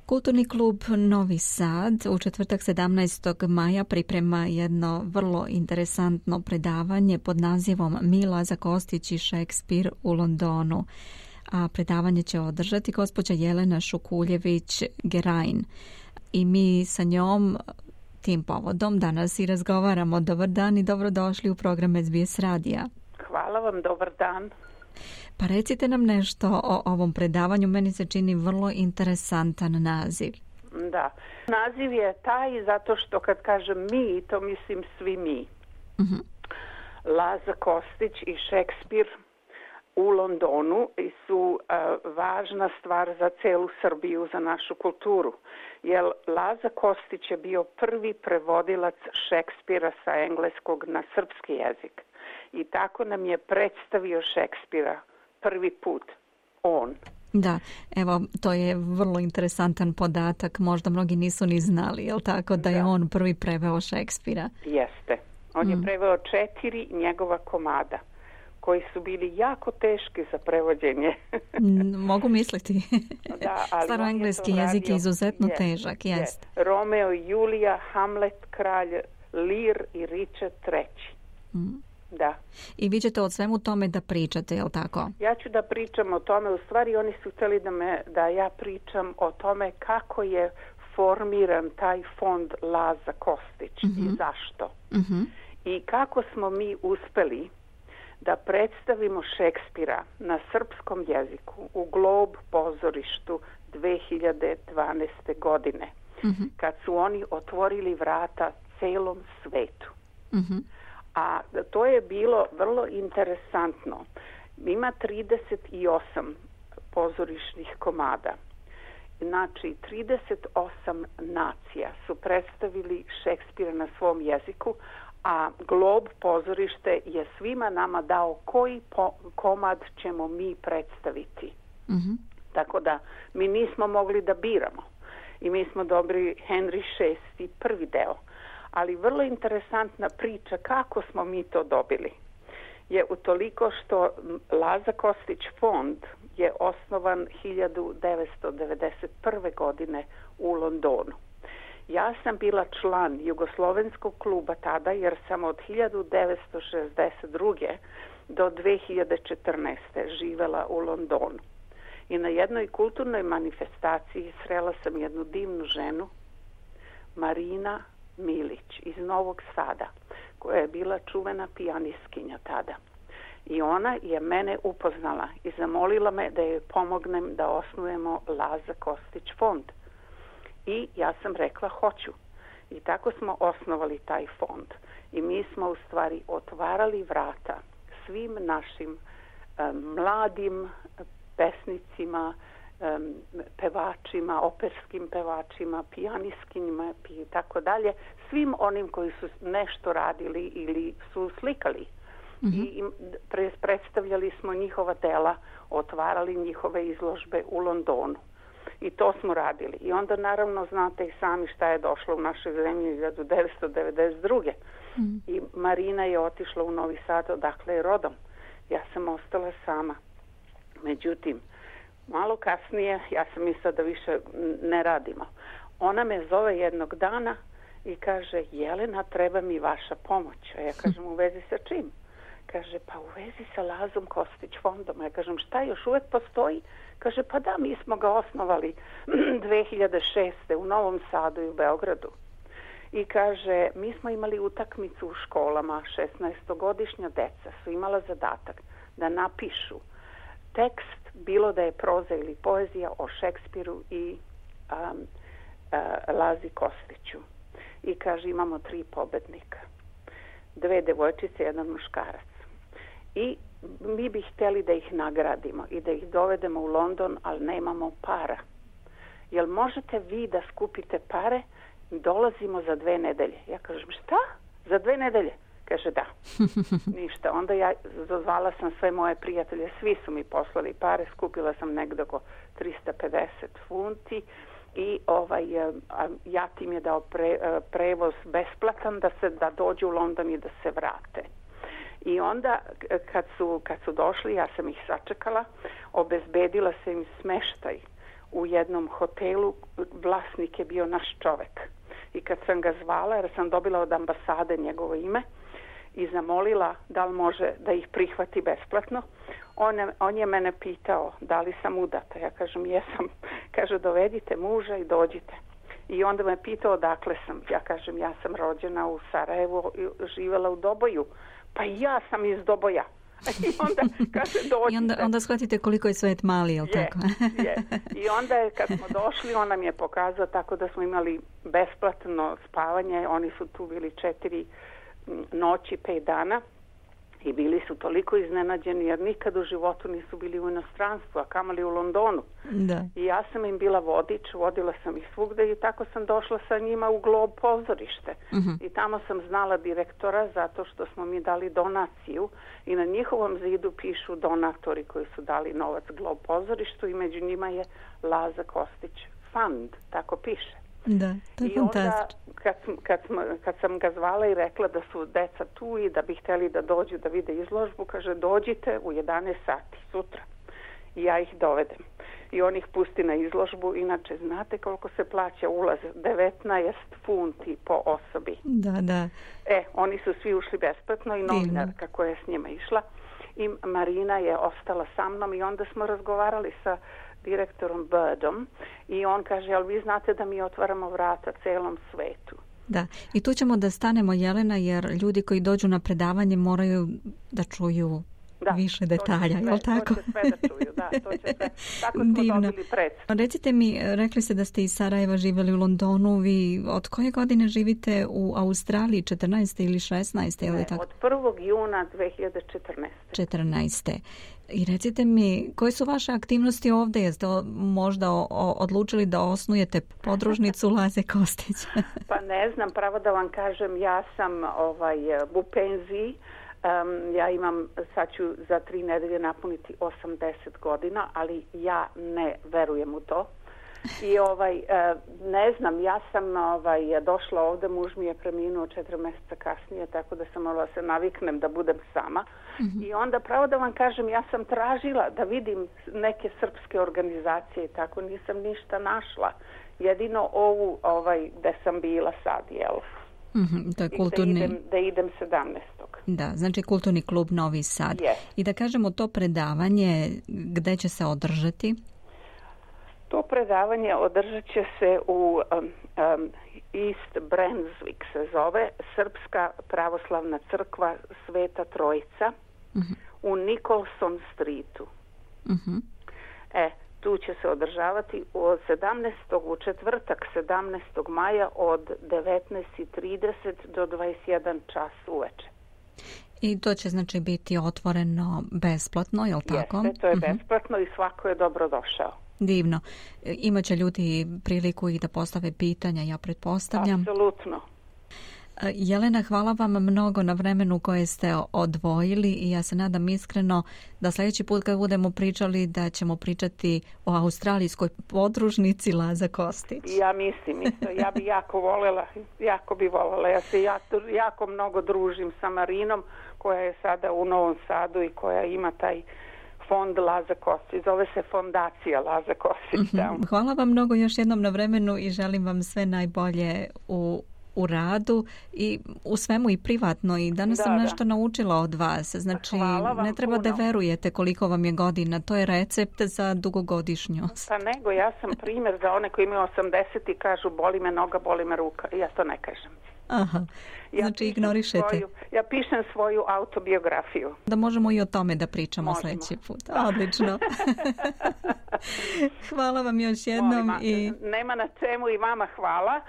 Kulturni klub Novi Sad u četvrtak 17. maja priprema jedno vrlo interesantno predavanje pod nazivom Laza Kostić i Šekspir u Londonu. A predavanje će održati gospođa Jelena Šukuljević-Gerajn. I mi sa njom tim povodom danas i razgovaramo. Dobar dan i dobrodošli u program SBS radija. Hvala vam, dobar dan. Pa recite nam nešto o ovom predavanju, meni se čini vrlo interesantan naziv. Da, naziv je taj zato što kad kažem mi, to mislim svi mi. Uh-huh. Laza Kostić i Šekspir u Londonu su važna stvar za celu Srbiju, za našu kulturu. Jer Laza Kostić je bio prvi prevodilac Šekspira sa engleskog na srpski jezik. I tako nam je predstavio Šekspira prvi put on. Da, evo, to je vrlo interesantan podatak, možda mnogi nisu ni znali, jel tako, da je on prvi preveo Šekspira? Jeste. On je preveo 4 njegova komada, koji su bili jako teški za prevođenje. Mogu misliti. Da, ali staroengleski jezik je izuzetno težak, jest. Romeo i Julija, Hamlet, Kralj, Lear i Richard III. Da. I vi ćete o svemu tome da pričate, je li tako? Ja ću da pričam o tome, u stvari oni su htjeli da ja pričam o tome kako je formiran taj fond Laza Kostić i zašto. I kako smo mi uspeli da predstavimo Šekspira na srpskom jeziku u Glob pozorištu 2012. godine, kad su oni otvorili vrata celom svetu. A to je bilo vrlo interesantno. Ima 38 pozorišnih komada. Znači, 38 nacija su predstavili Šekspira na svom jeziku, a Glob pozorište je svima nama dao koji komad ćemo mi predstaviti. Tako da mi nismo mogli da biramo. I mi smo dobili Henry VI prvi deo. Ali vrlo interesantna priča kako smo mi to dobili je utoliko što Laza Kostić fond je osnovan 1991. godine u Londonu. Ja sam bila član Jugoslovenskog kluba tada jer sam od 1962. do 2014. živela u Londonu. I na jednoj kulturnoj manifestaciji srela sam jednu divnu ženu, Marina Milić iz Novog Sada, koja je bila čuvena pijanistkinja tada. I ona je mene upoznala i zamolila me da joj pomognem da osnujemo Laza Kostić fond. I ja sam rekla hoću. I tako smo osnovali taj fond. I mi smo u stvari otvarali vrata svim našim mladim pesnicima, pevačima, operskim pevačima, pijanistkinjima i tako dalje, svim onim koji su nešto radili ili su slikali. I predstavljali smo njihova dela, otvarali njihove izložbe u Londonu. I to smo radili. I onda naravno znate i sami šta je došlo u našoj zemlji 1992. I Marina je otišla u Novi Sad, odakle je rodom. Ja sam ostala sama. Međutim, malo kasnije, ja sam mislila da više ne radimo. Ona me zove jednog dana i kaže, Jelena, treba mi vaša pomoć. A ja kažem, u vezi sa čim? Kaže, pa u vezi sa Lazom Kostić fondom. Ja kažem, šta još uvek postoji? Kaže, pa da, mi smo ga osnovali 2006. u Novom Sadu i u Beogradu. I kaže, mi smo imali utakmicu u školama, 16-godišnja deca su imala zadatak da napišu tekst, bilo da je proza ili poezija, o Šekspiru i Lazi Kostiću. I kaže, imamo 3 pobednika. 2 devojčice, 1 muškarac. I mi bi htjeli da ih nagradimo i da ih dovedemo u London, ali nemamo para. Jel možete vi da skupite pare? Dolazimo za 2 nedelje. Ja kažem, šta? Za 2 nedelje? Kaže, da. Ništa. Onda ja zazvala sam sve moje prijatelje, svi su mi poslali pare, skupila sam negdje oko 350 funti i Jatim je dao prevoz besplatan da dođu u London i da se vrate. I onda kad su došli, ja sam ih sačekala, obezbedila sam im smeštaj u jednom hotelu vlasnik je bio naš čovek. I kad sam ga zvala, jer sam dobila od ambasade njegovo ime i zamolila da li može da ih prihvati besplatno, on je mene pitao da li sam udata. Ja kažem jesam. Kaže dovedite muža i dođite. I onda me pitao odakle sam. Ja kažem ja sam rođena u Sarajevu i živjela u Doboju. Pa i ja sam iz Doboja. I onda kaže dođite. I onda shvatite koliko je svet mali, jel tako? Je. I onda je kad smo došli, on nam je pokazao tako da smo imali besplatno spavanje. Oni su tu bili 4 noći, 5 dana. I bili su toliko iznenađeni jer nikad u životu nisu bili u inostranstvu, a kamoli u Londonu. Da. I ja sam im bila vodič, vodila sam ih svugde i tako sam došla sa njima u Glob pozorište. I tamo sam znala direktora zato što smo mi dali donaciju i na njihovom zidu pišu donatori koji su dali novac Glob pozorištu i među njima je Laza Kostić Fund, tako piše. Da, to je fantastično. Kad sam ga zvala i rekla da su deca tu i da bi htjeli da dođu da vide izložbu, kaže dođite u 11 sati sutra i ja ih dovedem. I on ih pusti na izložbu. Inače, znate koliko se plaća ulaz? 19 funti po osobi. Da. Oni su svi ušli besplatno i novinarka koja je s njima išla. I Marina je ostala sa mnom i onda smo razgovarali sa direktorom Birdom i on kaže, ali vi znate da mi otvaramo vrata celom svetu. Da, i tu ćemo da stanemo, Jelena, jer ljudi koji dođu na predavanje moraju da čuju više detalja, je li tako? To će sve da čuju, to će sve. Tako smo dobili predstavu. Recite mi, rekli ste da ste iz Sarajeva živjeli u Londonu, vi od koje godine živite u Australiji, 14. ili 16. ili tako? Od 1. juna 2014. 14. I recite mi, koje su vaše aktivnosti ovdje? Jeste možda odlučili da osnujete podružnicu Laze Kostić? Pa ne znam, pravo da vam kažem, ja sam u penziji. Ja imam, sad ću za 3 nedelje napuniti 80 godina, ali ja ne verujem u to. I ne znam, ja sam došla ovdje, muž mi je preminuo 4 mjeseca kasnije, tako da sam morala se naviknem da budem sama. I onda, pravo da vam kažem, ja sam tražila da vidim neke srpske organizacije i tako, nisam ništa našla. Jedino ovu gde sam bila sad, jel? To je kulturni... Da idem 17. Da, znači Kulturni klub Novi Sad. Yes. I da kažemo to predavanje, gde će se održati? To predavanje održat će se u East Brunswick se zove, Srpska pravoslavna crkva Sveta Trojica u Nicholson Streetu. Tu će se održavati u četvrtak 17. maja od 19:30 do 21 čas uveče. I to će znači biti otvoreno besplatno, je li tako? Jeste, to je besplatno i svako je dobrodošao. Divno. Imaće ljudi priliku i da postave pitanja, ja pretpostavljam. Apsolutno. Jelena, hvala vam mnogo na vremenu koje ste odvojili i ja se nadam iskreno da sljedeći put kad budemo pričali da ćemo pričati o australijskoj podružnici Laza Kostić. Ja mislim isto, ja bi jako bi voljela. Ja se jako mnogo družim sa Marinom koja je sada u Novom Sadu i koja ima taj fond Laza Kostić, zove se Fondacija Laza Kostić. Hvala vam mnogo još jednom na vremenu i želim vam sve najbolje u radu i u svemu i privatno i danas sam nešto naučila od vas. Znači, ne treba da verujete koliko vam je godina. To je recept za dugogodišnjost. Pa nego, ja sam primjer za one koji imaju 80 i kažu boli me noga, boli me ruka. Ja to ne kažem. Aha, znači ignorišete. Ja pišem svoju autobiografiju. Da možemo i o tome da pričamo sljedeći put. Odlično. Hvala vam još jednom. Nema na čemu i vama hvala.